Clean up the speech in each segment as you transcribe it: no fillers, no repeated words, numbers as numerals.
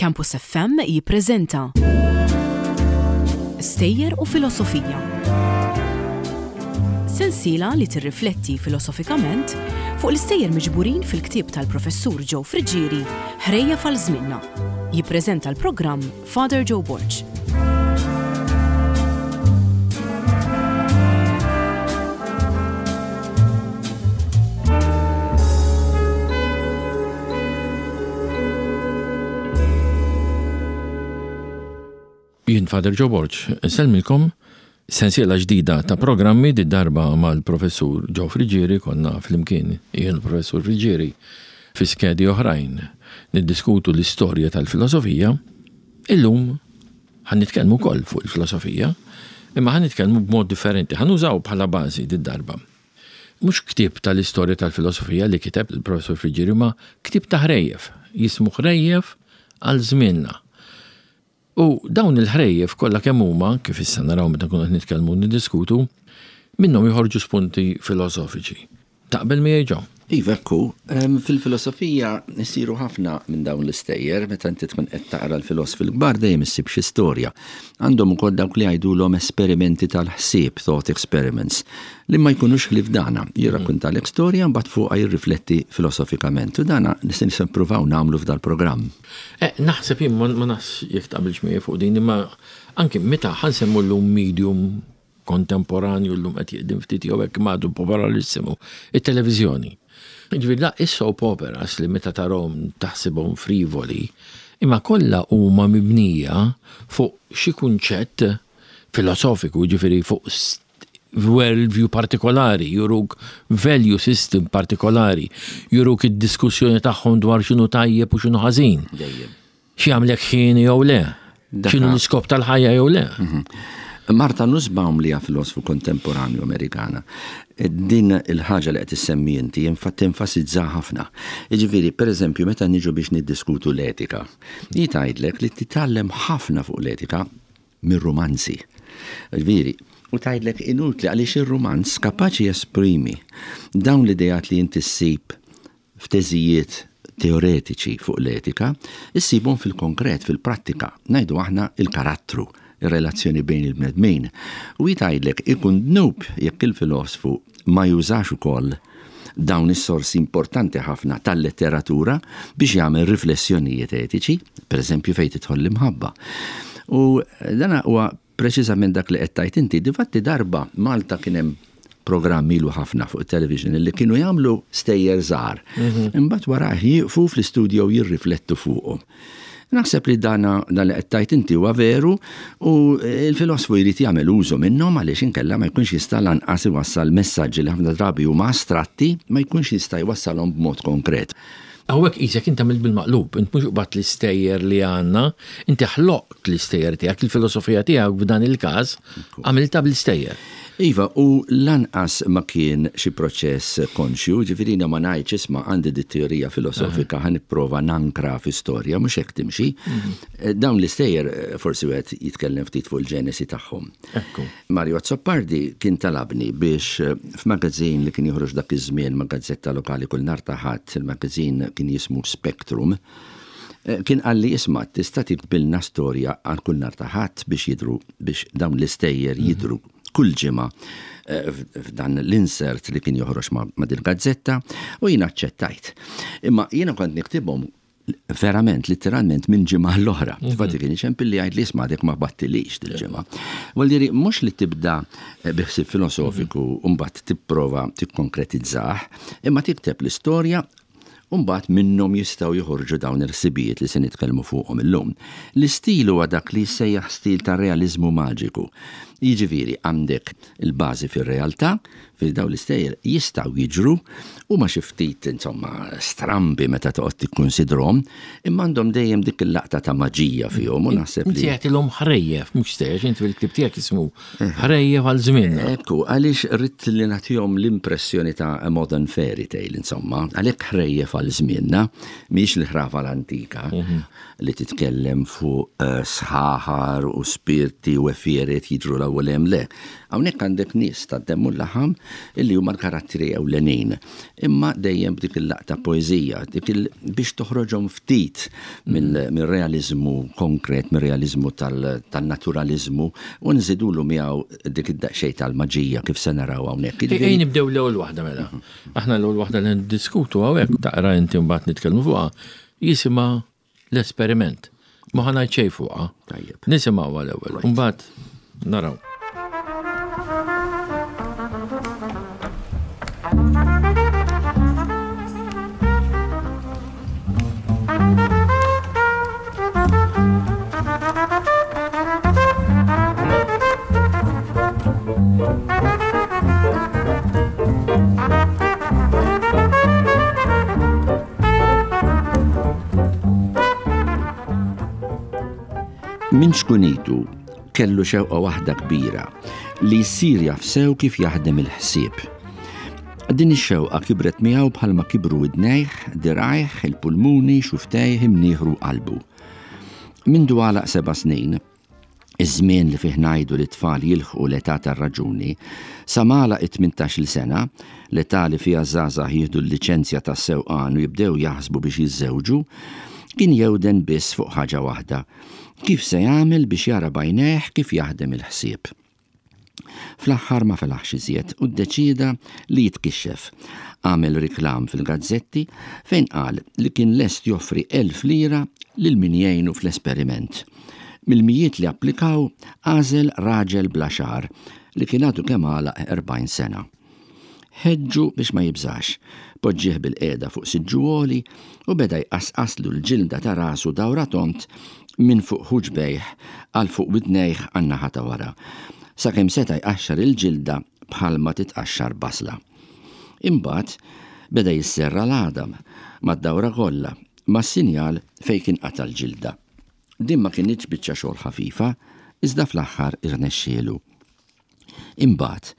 Campus FM jippreżenta Stejjer u Filosofija. Sensiela li tirrifletti filosofikament fuq l-istejjer miġburin fil-ktieb tal-Professur Joe Friggieri Ħrejjef għal Żmienna. Jippreżenta l-programm Father Joe Borg. Jien Father Joe Borg, insellmilkom sensiela ġdida ta' programmi di darba mal-professur Joe Friggieri konna flimkien jien professur Friggieri fi skedi oħrajn niddiskutu l-istorja tal-filosofija. Illum ħan nitkellmu wkoll fuq il-filosofija, imma ħan nitkellmu b'mod differenti, ħan użaw bħala bażi di darba. Mhux ktieb tal-istorja tal-filosofija li kiteb il-Professur Friggieri imma ktieb ta' ħrejjef, jismu Ħrejjef għal Żmienna. U dawn il-ħrejjef kollha kemm huma, kif issa naraw meta nkunu qed nitkellmu u niddiskutu, minnhom joħorġu spunti filosofiċi. Taqbel miegħi Joe? Iva, hekk hu. Fil-filosofija jsiru ħafna minn dawn l-istejjer, meta inti tkun qed taqra l-filosfi l-kbar dejjem issib xi storja. Għandhom ukoll dawk li jgħidulhom esperimenti tal-ħsieb, thought experiments, li ma jkunux ħlief dana. Jirrakkuntalek storja mbagħad fuqha jirrifletti filosofikament. U dana se nippruvaw nagħmlu f'dal-programm. Eh, naħseb jien ma nafx jekk taqbilx miegħi fuq din, imma anki meta ħa nsemmu llum medium kontemporanju llum qed jiqdim ftit jew hekk imma għadu popolarissimo, it-televiżjoni. Jiġifieri la is-soap operas li meta tarhom taħsibhom frivoli, imma kollha huma mibnija fuq xi kunċett filosofiku, jiġifieri fuq world view partikolari, juruk value system partikolari, juruk id-diskussjoni tagħhom dwar x'inhu tajjeb u x'inhu ħażin. Dejjem. X'jagħmlek ħieni jew le. X'inhu l-iskop tal-ħajja jew le. Mhm. Marta Nussbaum li hija filosfu kontemporanju Amerikana, din il-ħaġa li qed issemmi inti infatti enfasizza ħafna. Jiġifieri, pereżempju, meta niġu biex niddiskutu l-etika, hi tgħidlek li titgħallem ħafna fuq l-etika mir-rumanzi. Ġifieri, u tgħidlek inutli għaliex ir-rumanz kapaċi jesprimi dawn l-ideat li inti ssib f'teżijiet teoretiċi fuq l-etika, issibhom fil-konkret, fil-prattika, ngħidu aħna il-karattru, ir-relazzjoni bejn il-bnedmin. U hi tgħidlek ikun dnub jekk il-filosfu ma jużax ukoll dawn is-sorsi importanti ħafna tal-letteratura biex jagħmel riflessjonijiet etiċi, pereżempju fejn tidħol l-imħabba. U dan huwa Preċiżament dak li qed tgħid inti. Difatti darba Malta kien hemm programm ilu ħafna fuq it-television li kienu jagħmlu stejjer żgħar. Mhm. Imbagħad warajh jieqfu fl-istudio jirriflettu fuqhom. Naħseb li dan dan li qed tgħid inti huwa veru u l-filosfu jrid jagħmel użu minnhom għaliex inkella ma jkunx jista' lanqas iwassal messaġġi li ħafna drabi huma astratti ma jkunx jista' jwassalhom b'mod konkret. Hawnhekk qisek int għamilt bil-maqlub, int mhux qbadt l-istejjer li għandna, inti ħloqt l-istejjer tiegħek, il-filosofija tiegħek f'dan il-każ għamiltha bl-istejjer. Iva, u lanqas ma kien xi proċess konxju, jiġifieri jiena ma ngħidx isma' għandi dit-teorija filosofika ħa nipprova nankra fi storja, mhux hekk timxi. Dawn l-istejjer forsi wieħed jitkellem ftit fuq il-ġenesi tagħhom. Ekku. Mario Azzopardi kien talabni biex f'magazin li kien joħroġ dak iż-żmien ma' gazzetta lokali kull nhar ta' Ħadd, il-magazin kien jismu Spectrum, kien qalli isma' tista' tiktbilna storja għal kull nhar ta' Ħadd biex jidhru biex dawn l-istejjer jidhru kull ġimgħa f'dan l-insert li kien joħroġ ma' dil-gazzetta u jiena aċċettajt. Imma jiena kont niktibhom verament, litteralment minn ġimgħa l-oħra. Mhm. Infatti kien iċempil li jgħid li isma' dik ma battilix dil-ġimgħa. Vuol mhux li tibda eh, bi ħsieb filosofiku mhm. u mbagħad tipprova tikkonkretizzah, imma tikteb l-istorja u mbagħad minnhom jistgħu joħorġu dawn il-ħsibijiet li se nitkellmu fuqhom illum. L-istil huwa dak li jissejjaħ stil ta' realiżmu maġiku. Jiġifieri għandek il-bażi fir-realtà, Fil dawn l-istejjer jistgħu jiġru, huma xi ftit insomma strambi meta toqgħod tikkunsidrhom, imma għandhom dejjem dik il-laqta ta' maġija fihom u naħseb li. Inti għedtilhom ħrejjef, mhux stejjer, inti fil-ktieb tiegħek jismu ħrejjef għal żmienna. Ekku, għaliex ridt li nagħtihom l-impressjoni ta' a modern fairy tale, insomma, għalhekk ħrejjef għal żmienna, mhijiex l-ħrafa l-antika li titkellem fuq sħaħar u spirti u għefieret jiġru l-ewwel hemm, le. Hawnhekk għandek nies tad-demm u l-laħam. illi huma l-karattri ewlenin. Imma dejjem b'dik il-laqta poeżija, dik il biex toħroġhom ftit mill-realiżmu konkret, mir-realiżmu tan-naturaliżmu u nżidulu miegħu dik id-daqsxejn tal-maġija kif se naraw hawnhekk. Ejja nibdew l-ewwel waħda mela. Aħna l-ewwel waħda li niddiskutu hawnhekk taqra inti mbagħad nitkellmu fuqha jisimha L-esperiment. Ma ħa ngħid xejn fuqha. Tajjeb. Nisimgħuha l-ewwel. Imbagħad naraw. Minn xkunitu kellu xewqa waħda kbira li jsir jaf sew kif jaħdem il-ħsieb. Din ix-xewqa kibret miegħu bħalma kibru widnejh, dirgħajh, il-pulmuni, xuftejh, imnieħru u qalbu. Mindu għalaq seba' snin, iż-żmien li fih ngħidu li t-tfal jilħqu l-età tar-raġuni, sa m'għalaq it-tmintax-il sena, l-età li fiha ż-żgħażagħ jieħdu l-liċenzja tas-sewqan u jibdew jaħsbu biex jiżżewġu, kien jewden biss fuq ħaġa waħda, kif se jagħmel biex jara b'għajnejh kif jaħdem il-ħsieb. Fl-aħħar ma felaħx iżjed u ddeċieda li jitkixxef. Għamel riklam fil-gazzetti fejn qal li kien lest joffri 1,000 lira lil min jgħinu fl-esperiment. Mill-mijiet li applikaw għażel raġel bla xagħar li kien għadu kemm għalaq 40 sena. Ħeġġu biex ma jibżax, poġġieh bilqiegħda fuq siġġu għoli u beda jqasqaslu l-ġilda ta' rasu dawra tond minn fuq ħuġbejh għal fuq widnejh għan-naħa ta' wara, sakemm seta' jqaxxar il-ġilda bħalma titqaxxar basla. Imbagħad beda jisserra l-għadam mad-dawra kollha mas-sinjal fejn kien qata' l-ġilda. Din ma kinitx biċċa xogħol ħafifa, iżda fl-aħħar irnexxielu. Imbagħad,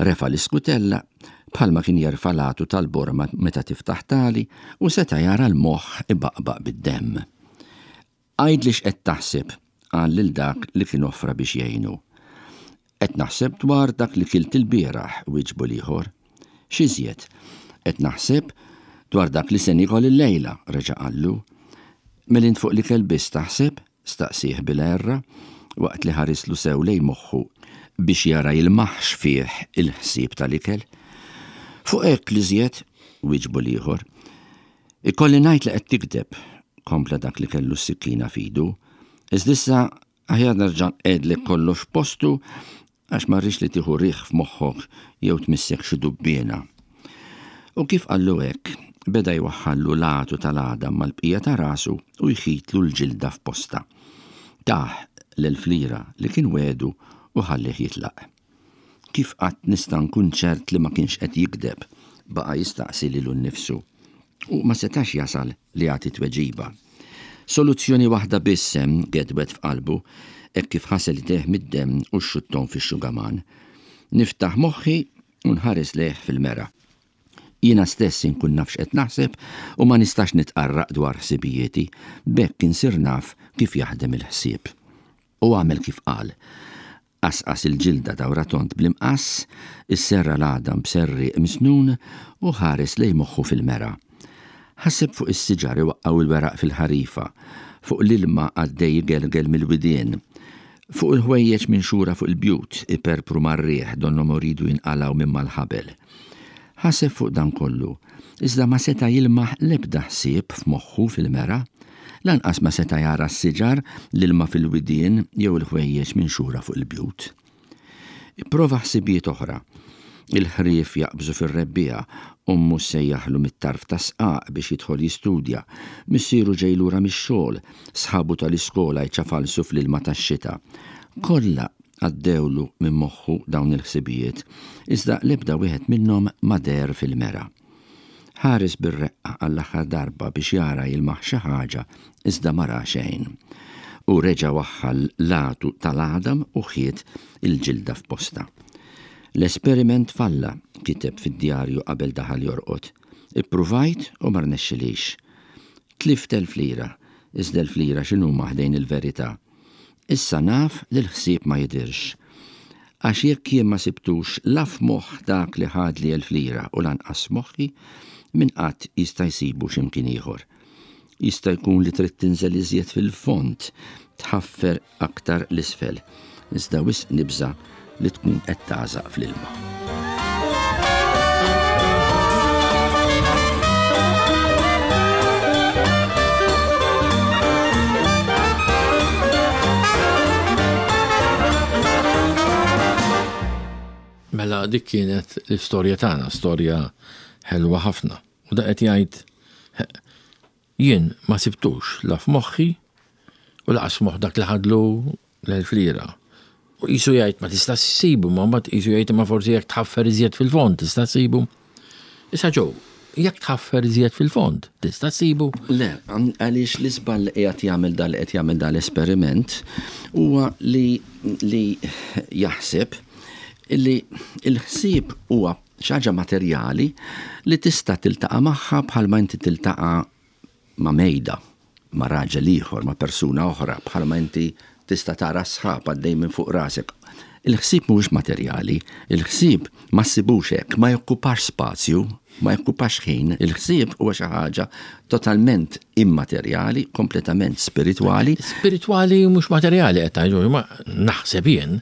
refa' l-iskutella bħalma kien jerfa' l-għatu tal-borma meta tiftaħ tali u seta' jara l-moħħ ibaqbaq bid-demm. Għidli x'qed taħseb, qal lil dak li kien offra biex jgħinu. Qed naħseb dwar dak li kilt ilbieraħ, wieġbu l-ieħor. X'iżjed? Qed naħseb dwar dak li se niekol illejla, reġa' qallu. Mela int fuq l-ikel biss taħseb? staqsieh bil-għerra, waqt li ħarislu sew lejn moħħu biex jara jilmaħx fih il-ħsieb tal-ikel. Fuq hekk l-iżjed, wieġbu l-ieħor. Ikolli ngħid li qed tigdeb, kompla dak li kellu s-sikkina f'idu. Iżda issa aħjar nerġa' nqegħdlek kollox f'postu Għax ma rridx li tieħu riħ f'moħħok jew tmissek xi dubbiena. U kif qallu hekk, beda jwaħħallu l-għatu tal-għadam mal-bqija ta' rasu u jħitlu l-ġilda f'postha. Tah l-elf lira li kien wegħdu u ħallieh jitlaq. Kif qatt nista' nkun ċert li ma kienx qed jigdeb? baqa' jistaqsi lilu nnifsu. U ma setax jasal li jagħti tweġiba. Soluzzjoni waħda biss hemm, gedwet f'qalbu, hekk kif ħasel idejh mid-demm u xxutthom fix-xugaman. Niftaħ moħħi u nħares lejh fil-mera. Jiena stess inkun naf x'qed naħseb u ma nistax nitqarraq dwar ħsibijieti, b'hekk insir naf kif jaħdem il-ħsieb. U għamel kif qal. Qasqas il-ġilda dawra tond bl-imqass, isserra l-għadam b'serrieq misnun u ħares lejn moħħu fil-mera. Ħaseb fuq is-siġar iwaqqgħu l-weraq fil-ħarifa, fuq l-ilma għaddej igelgel mill-widien, fuq il-ħwejjeġ minxura fuq il-bjut iperpru mar-riħ donnhom iridu jinqalgħu minn mal-ħabel. Ħaseb fuq dan kollu, iżda ma seta' jilmaħ l-ebda ħsieb f'moħħu fil-mera. Lanqas ma seta' jara s-siġar, l-ilma fil-widien jew il-ħwejjeġ minxura fuq il-bjut. Ipprova ħsibijiet oħra. Il-ħrief jaqbżu fir-rebbiegħa, ommu ssejjaħlu mit-tarf tas-sqaq biex jidħol jistudja, missieru ġej lura mix-xogħol, sħabu tal-iskola jċafalsu fl-ilma tax-xita. Kollha Għaddewlu minn moħħu dawn il-ħsibijiet, iżda l-ebda wieħed minnhom ma deher fil-mera. Ħares bir-reqqa għall-aħħar darba biex jara jilmaħ xi ħaġa iżda ma ra xejn. Hu reġa' waħħal l-għatu tal-għadam u ħiet il-ġilda f'postha. L-esperiment falla, kiteb fid-djarju qabel daħal jorqod. Ippruvajt u ma rnexxilix. Tlift elf lira, iżda elf lira x'inhuma ħdejn il-verità? Issa naf li l-ħsieb ma jidhirx. Għax jekk jien ma sibtux la f'moħħ dak li ħadli 1000 lira u lanqas f'moħħi, min qatt jista' jsibu xi mkien ieħor? Jista' jkun li trid tinżel iżjed fil-fond, tħaffer aktar 'l isfel, iżda wisq nibża' li tkun qed tagħżaq fl-ilma. Mela dik kienet l-istorja tagħna, storja ħelwa ħafna. U da qed jgħid jien ma sibtux la f'moħħi u laqas f'moħħ dak li ħadlu l-1000 lira. U qisu jgħid ma tistax issibu, ma mbagħad qisu jgħid imma forsi jekk tħaffer iżjed fil-fond tista' ssibu. Issa ġew, jekk tħaffer iżjed fil-fond tista' ssibu? Le, għaliex l-iżball li qiegħed jagħmel dal qed jagħmel dal-esperiment huwa li li jaħseb li l-ħsieb huwa xi ħaġa materjali li tista' tiltaqa' magħha bħalma inti tiltaqa' ma' mejda, ma' raġel ieħor, ma' persuna oħra, bħalma inti tista' tara s-sħab għaddej minn fuq rasek. Il-ħsieb mhuwiex materjali, il-ħsieb ma ssibux hekk, ma jokkupax spazju, ma jokkupax ħin, il-ħsieb huwa xi ħaġa totalment immaterjali, kompletament spiritwali. Spiritwali mhux materjali qed tgħid, imma naħseb jien,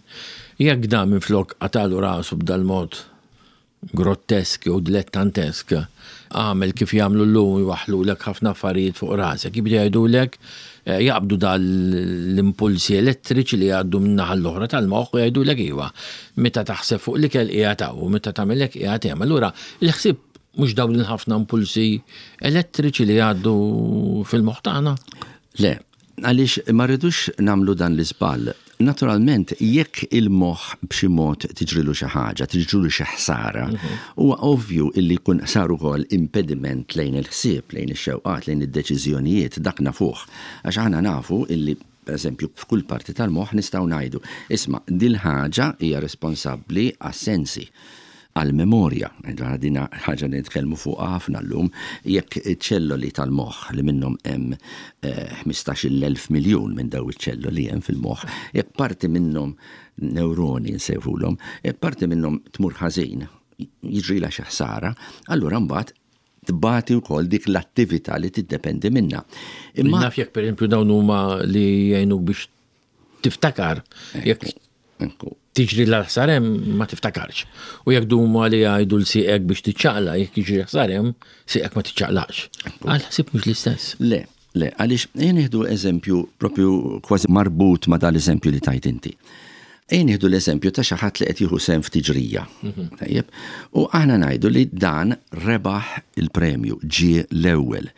jekk dan minflok qatagħlu rasu b'dal-mod grottesk jew dilettantesk, għamel kif jagħmlu llum jwaħħlulek ħafna affarijiet fuq rasek. Jibdew jgħidulek, jaqbdu dal l-impulsi elettriċi li jgħaddu minn naħa l-oħra tal-moħħ u jgħidulek iva, meta taħseb fuq l-ikel qiegħed hawn u meta tagħmel hekk qiegħed hemm. Allura l-ħsieb mhux dawn il-ħafna impulsi elettriċi li jgħaddu fil-moħħ tagħna? Le, Għaliex ma rridux nagħmlu dan l-iżball. Naturalment, jekk il-moħħ b'xi mod tiġrilu xi ħaġa, tiġrilu xi ħsara, huwa ovvju illi jkun sar ukoll impediment lejn il-ħsieb, lejn ix-xewqat, lejn id-deċiżjonijiet, dak nafuh. Għax aħna nafu illi, pereżempju, f'kull parti tal-moħħ nistgħu ngħidu, isma' dil-ħaġa hija responsabbli għas-sensi. Għall-memorja, din ħaġa li nitkellmu fuqha ħafna llum, jekk iċ-ċelloli tal-moħħ li minnhom hemm 15-il elf miljun minn dawn iċ-ċelloli hemm fil-moħħ, jekk parti minnhom newroni nsejħulhom, jekk parti minnhom tmur ħażin, jiġrilha xi ħsara, allura mbagħad tbati wkoll dik l-attività li tiddependi minnha. Imma naf jekk pereżempju dawn huma li jgħinuk biex tiftakar, jekk tiġri l-ħsar hemm ma tiftakarx. U jekk duma li jgħidu l-sieqek biex tiċċaqla, jekk jiġri ħsar hemm, sieqek ma tiċċaqlax. Għal ħsieb mhux l-istess. Le, le, għaliex ejja nieħdu eżempju propju kważi marbut ma dal-eżempju li tajt inti. Ejja nieħdu l-eżempju ta' xi ħadd li qed jieħu sehem f'tiġrija. Mhm. Tajjeb? U aħna ngħidu li dan rebaħ il-premju, ġie l-ewwel.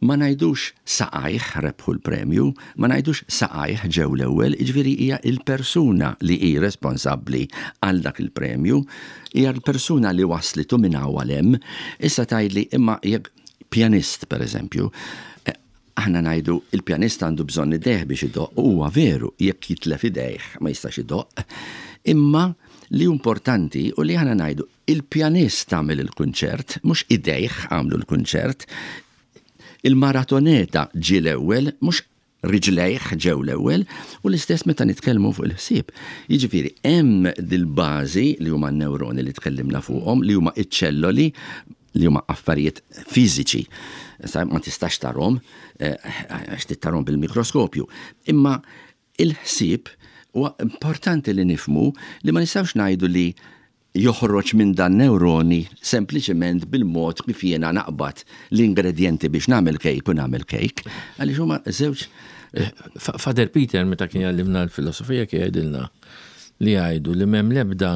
Ma ngħidux saqajh rebħu l-premju, ma ngħidux saqajh ġew l-ewwel, jiġifieri hija l-persuna li hi responsabbli għal dak il-premju, hija l-persuna li wasslitu minn hawn għal hemm. Issa tgħidli imma jekk pjanist pereżempju, aħna ngħidu il-pjanist għandu bżonn idejh biex idoqq, u huwa veru, jekk jitlef idejh ma jistax idoqq, imma li hu importanti u li aħna ngħidu Il-pjanist għamel il-kunċert, mhux idejh għamlu l-kunċert. Il-maratoneta ġie l-ewwel, mhux riġlejh ġew l-ewwel, u l-istess meta nitkellmu fuq il-ħsieb. Jiġifieri hemm dil-bażi li huma n-newroni li tkellimna fuqhom, li huma ċ-ċelloli li huma affarijiet fiżiċi. Ma tistax tarhom eh, għax tittarhom bil-mikroskopju. Imma il-ħsieb huwa importanti li nifhmu li ma nistgħux ngħidu li joħroġ minn dan newroni sempliċement bil-mod kif jiena naqbad l-ingredjenti biex nagħmel kejk u nagħmel kejk, għaliex huma żewġ Father Peter meta kien jgħallimna l-filosofija kien jgħidilna li jgħidu li m'hemm l-ebda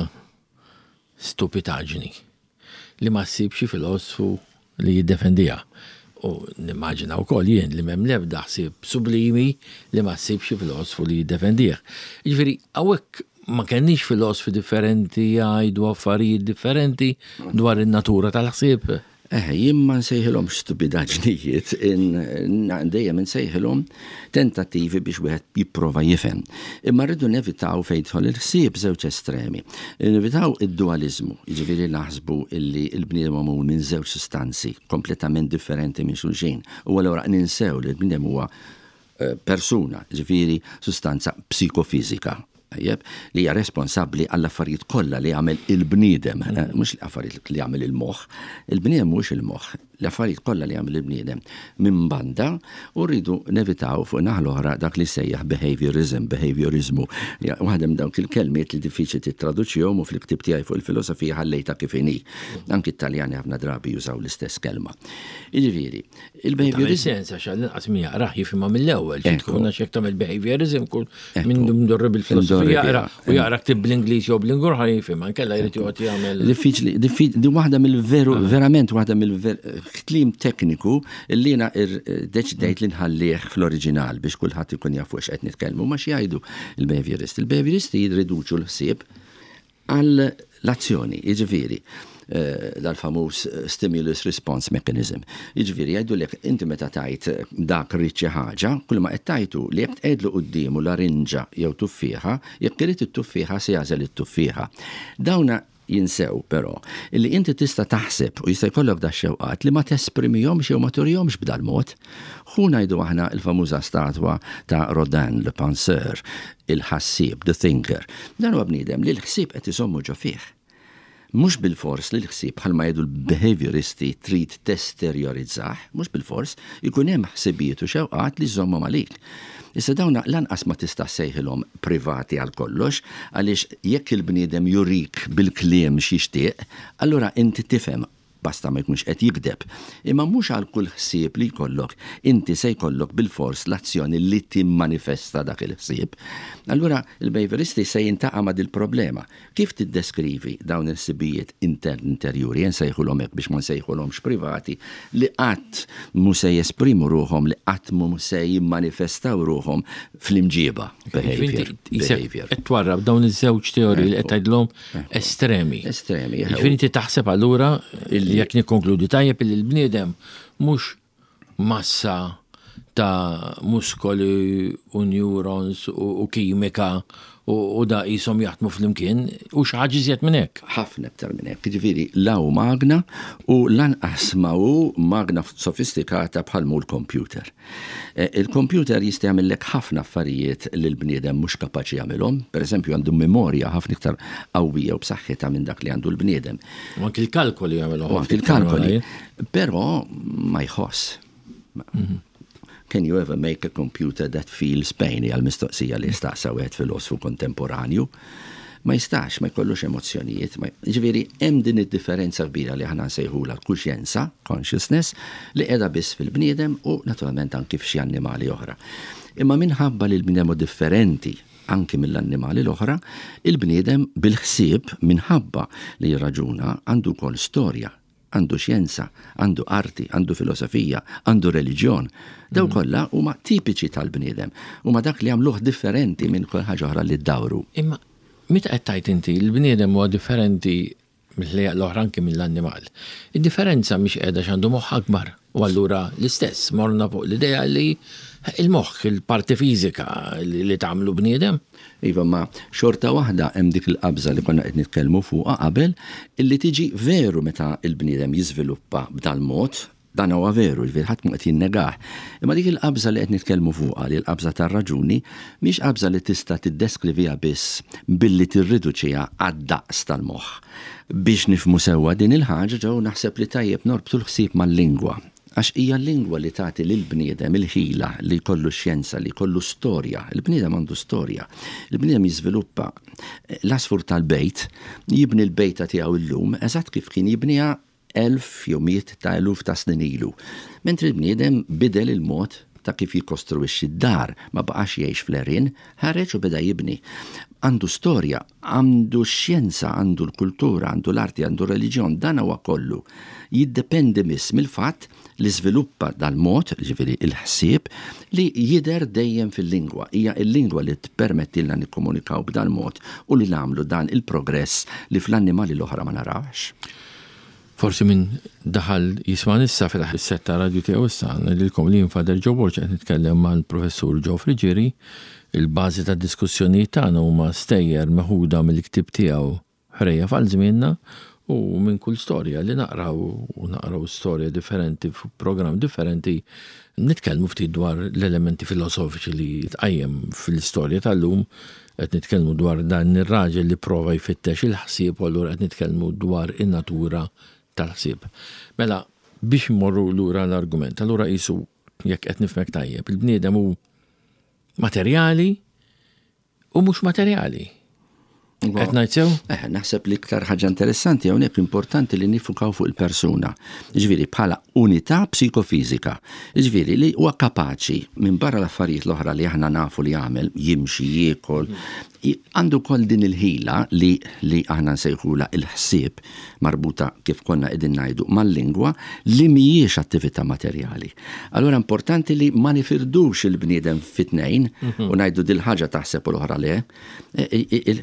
stupitaġni li ma ssib xi filosfu li jiddefendiha. U nimmaġina wkoll jien li m'hemm l-ebda ħsieb sublimi li ma ssib xi filosfu li jiddefendih. Jiġifieri hawnhekk ma kenniex filosfi differenti jgħidu affarijiet differenti dwar in-natura tal-ħsieb. Eħe, jien ma nsejħilhomx stupidaġnijiet, dejjem insejħilhom tentattivi biex wieħed jipprova jifhem. Imma rridu nevitaw fejn jidħol il-ħsieb żewġ estremi. Nevitaw id-dualiżmu, jiġifieri naħsbu illi l-bniedem magħmul minn żewġ sustanzi kompletament differenti minn xulxin. U allura ninsew li l-bniedem huwa eh, persuna, jiġifieri sustanza psikofiżika. Tajjeb, li hija responsabbli għall-affarijiet kollha li jagħmel il-bniedem, mhux l-affarijiet li jagħmel il-moħħ. Il-bniedem mhuwiex il-moħħ, l-affarijiet kollha li jagħmel il-bniedem minn banda u rridu nevitaw fuq naħa l-oħra dak li sejjaħ behaviorism, behaviorizmu. Waħda minn dawk il-kelmiet li diffiċli tittraduċihom u fil-ktieb tiegħi fuq il-filosofija ħallejtha kif inhi. Anki t-Taljani ħafna drabi jużaw l-istess kelma. Jiġifieri, il-behaviorism. Sens għax għall-inqas min jaqrah jifhimha mill-ewwel, xi tkun għax jekk tagħmel behaviorism kull minn mdorri bil-filosofija jaqra u jaqra ktib bl-Ingliż jew bl-Ingur ħa jifhimha, nkella jrid joqgħod jagħmel. Diffiċli, di waħda mill-veru, ah. verament waħda mill-kliem tekniku li jiena deċidejt li nħallih fl-oriġinal biex kulħadd ikun jaf fuq x'qed nitkellmu ma xi jgħidu il-behaviorist. Il-behavioristi jirriduċu l-ħsieb għal l-azzjoni, jiġifieri dal-famuż stimulus response mechanism. Jiġifieri jgħidulek inti meta tgħid dak ried xi ħaġa, kull ma qed tgħid hu li jekk tqegħidlu quddiemu larinġa jew tuffieħa, jekk irid it-tuffieħa se jagħżel it-tuffieħa. Dawna jinsew però illi inti tista' taħseb u jista' jkollok dax-xewqat li ma tesprimihomx jew ma turihomx b'dal-mod. Ħu ngħidu aħna l-famuża statwa ta' Rodin, Le Penseur, il-ħassieb, the thinker. Dan huwa bniedem li l-ħsieb qed iżommu ġo fih. Mhux bilfors li l-ħsieb bħalma jgħidu l-behavioristi trid testerjorizzah, mhux bilfors, ikun hemm ħsibijiet u xewqat li żżommhom għalik. Issa dawn lanqas ma tista' ssejħilhom privati għal kollox, għaliex jekk il-bniedem jurik bil-kliem x'jixtieq, allura inti tifhem basta ma jkunx qed jigdeb. Imma mhux għal kull ħsieb li jkollok inti se jkollok bilfors l-azzjoni li timmanifesta dak il-ħsieb. Allura il-behavioristi se jintaqa' ma' dil-problema. Kif tiddeskrivi dawn il-ħsibijiet interni interjuri, jien nsejħulhom hekk biex ma nsejħulhomx privati, li qatt mhu se jesprimu ruħhom, li qatt mhu se jimmanifestaw ruħhom fl-imġieba, behavior. Behavior. Qed twarrab dawn iż-żewġ teoriji li qed tgħidlhom estremi. Estremi. Jiġifieri inti taħseb allura jekk nikkonkludi tajjeb li l-bniedem mhux massa ta' muskoli u neurons u kimika u da qishom jaħdmu flimkien u xi ħaġa iżjed minn hekk. Ħafna iktar minn hekk. Jiġifieri la hu magna u lanqas ma hu magna sofistikata bħal mhu l-kompjuter. Il-kompjuter jista' jagħmillek ħafna affarijiet li l-bniedem mhux kapaċi jagħmilhom. Pereżempju għandu memorja ħafna iktar qawwija u b'saħħitha minn dak li għandu l-bniedem. U anki l-kalkoli jagħmilhom. U anki l-kalkoli. Però ma jħoss. Mhm. Can you ever make a computer that feels pain? Hija l-mistoqsija li staqsa wieħed filosfu kontemporanju. Ma jistax, ma jkollux emozzjonijiet. Ġifieri hemm din id-differenza kbira li aħna nsejħulha l-kuxjenza, consciousness, li qiegħda biss fil-bniedem u naturalment anki f'xi annimali oħra. Imma minħabba li l-bniedem hu differenti anki mill-annimali l-oħra, il-bniedem bil-ħsieb minħabba li jirraġuna għandu wkoll storja, Għandu xjenza, għandu arti, għandu filosofija, għandu reliġjon. Dawn mm. kollha huma tipiċi tal-bniedem, huma dak li jagħmluh differenti minn kull ħaġa oħra li ddawru. Imma meta qed tgħid inti l-bniedem huwa differenti mill-ħlejjaq l-oħra anki mill-annimal. Id-differenza mhix qiegħda x'għandu moħħ akbar. U allura l-istess morna fuq l-idea li il-moħħ, il-parti fiżika li tagħmlu bniedem. Iva, ma xorta waħda hemm dik il-qabża li konna qed nitkellmu fuqha qabel illi tiġi veru meta l-bniedem jiżviluppa b'dal-mod, dan huwa veru, jiġifieri ħadd mhu qed jinnegah. Imma dik il-qabża li qed nitkellmu fuqha, li l-qabża tar-raġuni, mhix qabża li tista' tiddeskriviha biss billi tirriduċiha għad-daqs tal-moħħ. Biex nifhmu sewwa din il-ħaġa, Joe, naħseb li tajjeb norbtu l-ħsieb mal-lingwa. Għax hija l-lingwa li tagħti lill-bniedem il-ħila li jkollu xjenza, li jkollu storja. Il-bniedem għandu storja. Il-bniedem jiżviluppa l-għasfur tal-bejt, jibni l-bejta tiegħu llum eżatt kif kien jibniha elf jew mijiet ta' eluf ta' snin ilu. Mentri l-bniedem bidel il-mod ta' kif jikkostruwixxi d-dar, ma baqax jgħix fl-għerien, ħareġ u beda jibni. Għandu storja, għandu x-xjenza, għandu l-kultura, għandu l-arti, għandu r-reliġjon, dan huwa kollu jiddependi biss mill-fatt li żviluppa dal-mod, jiġifieri l-ħsieb, li jidher dejjem fil-lingwa. Hija l-lingwa li tippermettilna nikkomunikaw b'dal-mod u li nagħmlu dan il-progress li fl-annimali l-oħra ma narawhx. Forsi min daħal jismagħni issa fetaħ is-set ta' radju tiegħu issa, ngħidilkom li jien Father Joe Borg qed nitkellem mal-Professur Joe Friggieri. Il-bażi tad-diskussjonijiet tagħna huma stejjer meħuda mill-ktieb tiegħu Ħrejjef għal Żmienna. U minn kull storja li naqraw, u naqraw storja differenti f'programm differenti, nitkellmu ftit dwar l-elementi filosofiċi li tqajjem fl-istorja tal-lum, qed nitkellmu dwar dan ir-raġel li prova jfittex il-ħsieb u allura qed nitkellmu dwar in-natura tal-ħsieb. Mela, biex immorru lura l-argument, allura qisu jekk qed nifhmek tajjeb, il-bniedem hu materjali u mhux materjali. Qed ngħid sew? Eh, naħseb li iktar ħaġa interessanti hawnhekk importanti li nifukaw fuq il-persuna. Ġifieri bħala unità psikofiżika. Ġifieri li huwa kapaċi minn barra l-affarijiet l-oħra li aħna nafu li jagħmel, jimxi, jiekol, għandu wkoll din il-ħila li li aħna nsejħula il-ħsieb marbuta kif konna qegħdin ngħidu mal-lingwa li mhijiex attività materjali. Allura importanti li ma nifirdux il-bniedem fi tnejn u ngħidu dil-ħaġa taħseb u l-oħra le. E, e,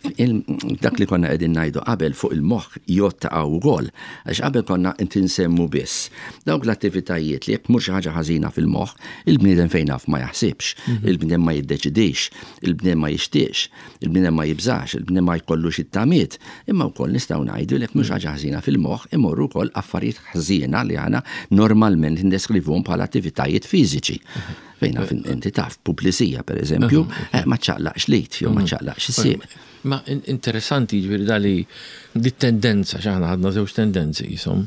dak li konna qegħdin ngħidu qabel fuq il-moħħ jgħodd hawn ukoll. Għax qabel konna inti nsemmu biss dawk l-attivitajiet li jekk mhux xi ħaġa ħażina fil-moħħ, il-bniedem fejn naf ma jaħsibx, il-bniedem ma jiddeċidix, il-bniedem ma jixtieqx, il-bniedem ma jibżax, il-bniedem ma jkollux it-tamiet, imma wkoll nistgħu ngħidu li jekk mhux ħaġa ħażina fil-moħħ imorru wkoll affarijiet ħżiena li aħna normalment ndeskrivuhom bħala attivitajiet fiżiċi. Fejn naf inti taf, publisija per eżempju, eh, ma ċaqlaqx lit jew ma mhm. ċaqlaqx is-sieq. Ma interessanti ġifieri dali di tendenza x'aħna ħadna żewġ tendenzi jisom.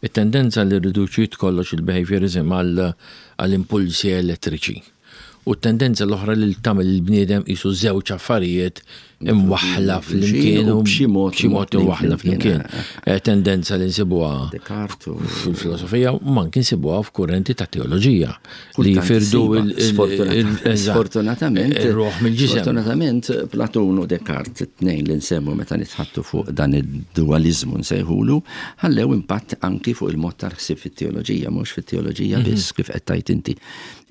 It-tendenza li riduċiet kollox il-behaviorism għall-impulsi elettriċi. U t-tendenza l-oħra li tagħmel il-bniedem qisu żewġ affarijiet imwaħħla flimkien u b'xi mod b'xi mod imwaħħla flimkien. Eh, tendenza li nsibuha fil-filosofija u anki nsibuha f'kurrenti ta' teoloġija li jifirdu Sfortunatament ir-ruħ mill-ġisem. Sfortunatament Platun u Descartes it-tnejn li nsemmu meta nitħattu fuq dan id-dualizmu nsejħulu, ħallew impatt anki fuq il-mod tal-ħsieb fit-teoloġija, mhux fit-teoloġija mhm. biss kif qed tgħid inti.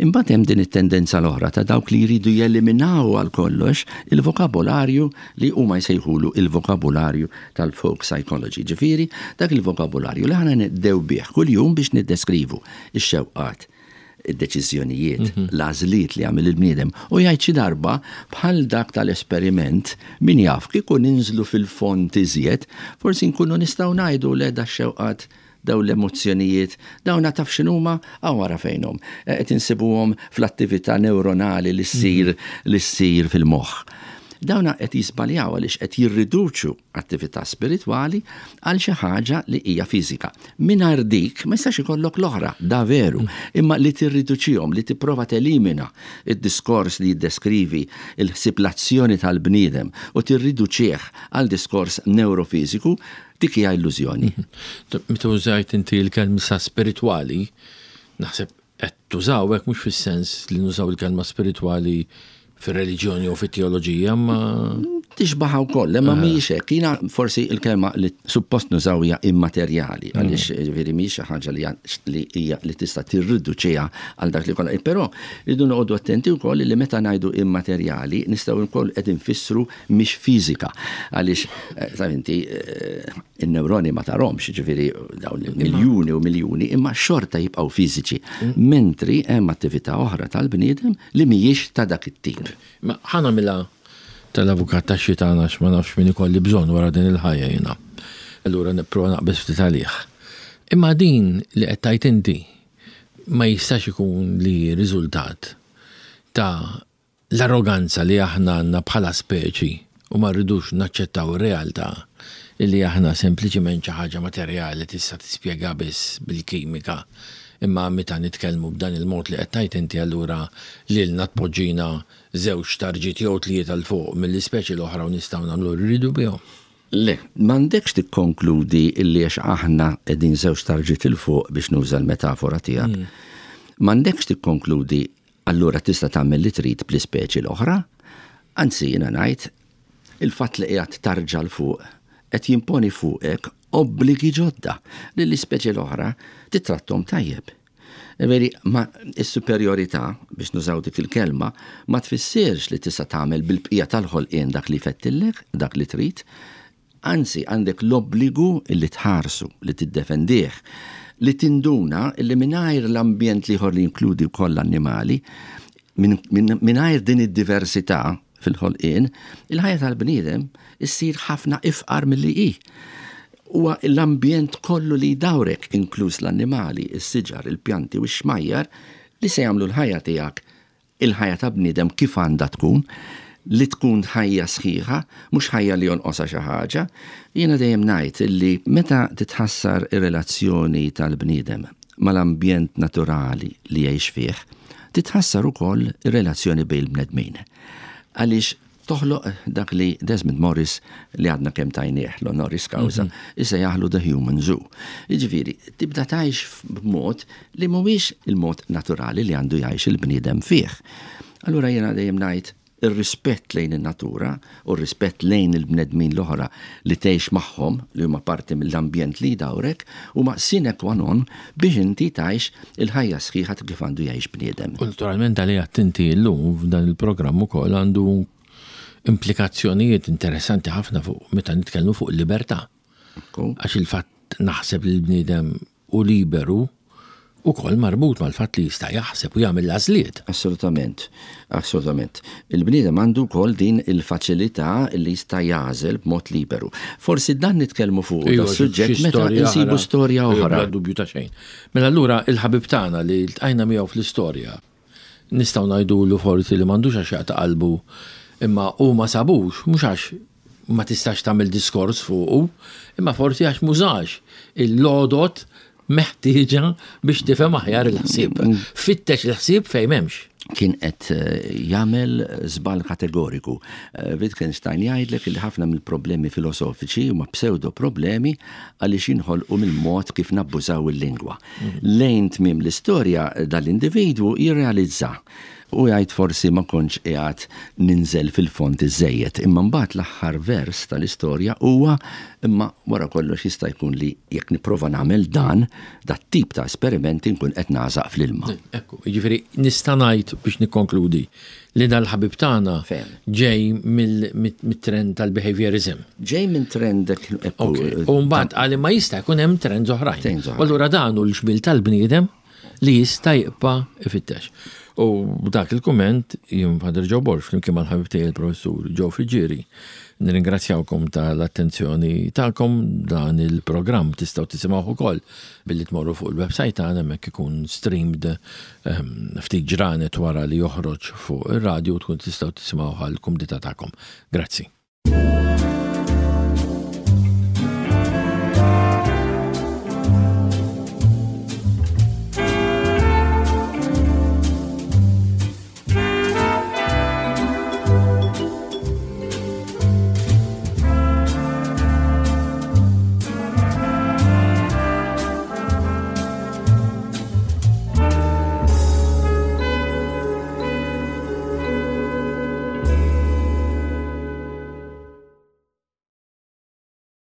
Imbagħad hemm din it-tendenza l-oħra ta' dawk li jridu jeliminaw għal kollox il-vokabolarju li huma jsejħulu il-vokabolarju tal-folk psychology. Ġifieri, dak il-vokabolarju li aħna nqdew bih kuljum biex niddeskrivu x-xewqat, id-deċiżjonijiet, mhm. l-għażliet li għamel il-bniedem. U jgħid xi darba bħal dak tal-esperiment min jaf kieku ninżlu fil-fond iżjed, forsi nkunu nistgħu ngħidu le da xewqat Dawn l-emozzjonijiet, dawn taf x'inhuma? Hawn ara fejnhom. Qed insibuhom fl-attività newronali li ssir li ssir fil-moħħ. Dawn qed jiżbaljaw għaliex qed jirriduċu attività spiritwali għal xi ħaġa li hija fiżika. Mingħajr dik ma jistax ikollok l-oħra, da veru, imma li tirriduċihom, li tipprova telimina id-diskors li jiddeskrivi l-ħsieb l-azzjoni tal-bniedem u tirriduċih għal diskors newrofiżiku, Dik hija illużjoni. Meta użajt inti l-kelma sa spiritwali, naħseb qed tużaw hekk mhux fis-sens li nużaw il-kelma spiritwali fir-reliġjoni u fit-teoloġija, ma tixbaħa wkoll, imma mhijiex hekk. Jiena forsi l-kelma li suppost nużaw hija immaterjali, mm. għaliex ġifieri mhijiex xi ħaġa li hija li tista' tirriduċiha għal dak li kollha. Però rridu noqogħdu attenti wkoll li meta ngħidu immaterjali nistgħu wkoll qed infissru mhix fiżika. Għaliex, eh, taf inti, eh, in-newroni ma tarhomx, ġifieri dawn miljuni u miljuni, imma xorta jibqgħu fiżiċi. Mm. Mentri hemm attività oħra tal-bniedem li mhijiex ta' dak it-tip. Ma ħa nagħmilha tal-avukat ta' xitan għax ma nafx min ikolli bżonn wara din il-ħajja jiena. Allura nipprova naqbeż ftit għalih. Imma din li qed tgħid inti ma jistax ikun li riżultat ta' L-arroganza li aħna għandna bħala speċi u ma rridux naċċettaw ir-realtà illi aħna sempliċiment xi ħaġa materjali tista' tispjega biss bil-kimika imma meta nitkellmu b'dan il-mod li qed tgħid inti allura lilna tpoġġina żewġ tarġiet jew tlieta 'l fuq mill-ispeċi l-oħra u nistgħu nagħmlu li rridu bihom. Le, m'għandekx tikkonkludi illi għax aħna qegħdin żewġ tarġiet 'il fuq biex nuża l-metafora tiegħek, m'għandekx tikkonkludi Allura tista' tagħmel li trid bl-ispeċi l-oħra? Anzi jiena ngħid, il-fatt li qiegħed tarġa' 'l fuq qed jimponi fuqek obbligi ġodda li l-ispeċi l-oħra tittratthom tajjeb. Veri, ma s-superjorità, biex nużaw dik il-kelma, ma tfissirx li tista' tagħmel bil-bqija tal-ħolqien dak li jfettillek, dak li trid, Anzi, għandek l-obbligu li tħarsu, li tiddefendih, li tinduna li mingħajr l-ambjent l-ieħor li jinkludi wkoll l-annimali, mingħajr din id-diversità fil-ħolqien, il-ħajja tal-bniedem issir ħafna ifqar milli hi. Huwa l-ambjent kollu li jdawrek, inkluż l-annimali, is-siġar, il-pjanti u x-xmajjar, li se jagħmlu l-ħajja tiegħek il-ħajja ta' bniedem kif għandha tkun, li tkun ħajja sħiħa, mhux ħajja li jonqosha xi ħaġa. Jiena dejjem ngħid li meta titħassar ir-relazzjoni tal-bniedem mal-ambjent naturali li jgħix fih, titħassar ukoll ir-relazzjoni bejn il-bnedmin. Għaliex toħloq dak li Desmond Morris li għadna kemm tajnieh l-honoris causa, mhm. isejjaħlu The Human Zoo. Jiġifieri, tibda tgħix b'mod li mhuwiex il-mod naturali li għandu jgħix il-bniedem fih. Allura jiena dejjem ngħid ir-rispett lejn in-natura u r-rispett lejn il-bnedmin l-oħra li tgħix magħhom li huma parti mill-ambjent li jdawrek huma sine qua non biex inti tgħix il-ħajja sħiħa ta' kif għandu jgħix bniedem. U naturalment dan li għedt inti llum f'dan il-programm ukoll għandu implikazzjonijiet interessanti ħafna fuq meta nitkellmu fuq il-libertà. Għax il-fatt naħseb li l-bniedem hu liberu ukoll marbut mal-fatt li jista' jaħseb u jagħmel l-għażliet. Assolutament, assolutament. Il-bniedem għandu wkoll din il-faċilità li jista' jagħżel b'mod liberu. Forsi dan nitkellmu fuq Iva, suġġett meta nsibu storja oħra. Bla dubju ta' xejn. Mela allura il-ħabib tagħna li ltqajna miegħu fl-istorja, nistgħu ngħidulu forsi li m'għandux għax jaqta' qalbu imma hu ma sabux, mhux għax ma tistax tagħmel diskors fuqu, imma forsi għax m'użax il-għodod meħtieġa biex tifhem aħjar il-ħsieb. Fittex il-ħsieb fejn m'hemmx. Kien qed eh, jagħmel żball kategoriku. Eh, Wittgenstein jgħidlek li ħafna mill-problemi filosofiċi huma pseudo problemi għaliex jinħolqu mill-mod kif nabbużaw il-lingwa. Mhm. Lejn tmiem l-istorja dal-individwu jirrealizza u jgħid forsi ma kontx qiegħed ninżel fil-fond iżżejjed. Imma mbagħad l-aħħar vers tal-istorja huwa imma wara kollox jista' jkun li jekk nipprova nagħmel dan, dat-tip ta' esperimenti nkun qed nagħżaq fl-ilma. Ekku, jiġifieri nista' ngħid biex nikkonkludi li dal-ħabib tagħna ġej mit-trend tal-behaviorism. Ġej minn trend ekku. U mbagħad qal imma jista' jkun hemm trends oħrajn. U allura dan hu l-ġmiel tal-bniedem li jista' jibqa' ifittex. U b'dak il-kumment jien Father Joe Borg flimkien mal-ħabib tiegħi il-Professur Joe Friggieri nirringrazzjawkom tal-attenzjoni tagħkom dan il-programm tistgħu tisimgħuh ukoll billi tmorru fuq il-website tagħna hemmhekk ikun streamed ehm, ftit ġranet wara li joħroġ fuq ir-radju tkun tistgħu tisimgħuh għall-kumdità tagħkom. Grazzi.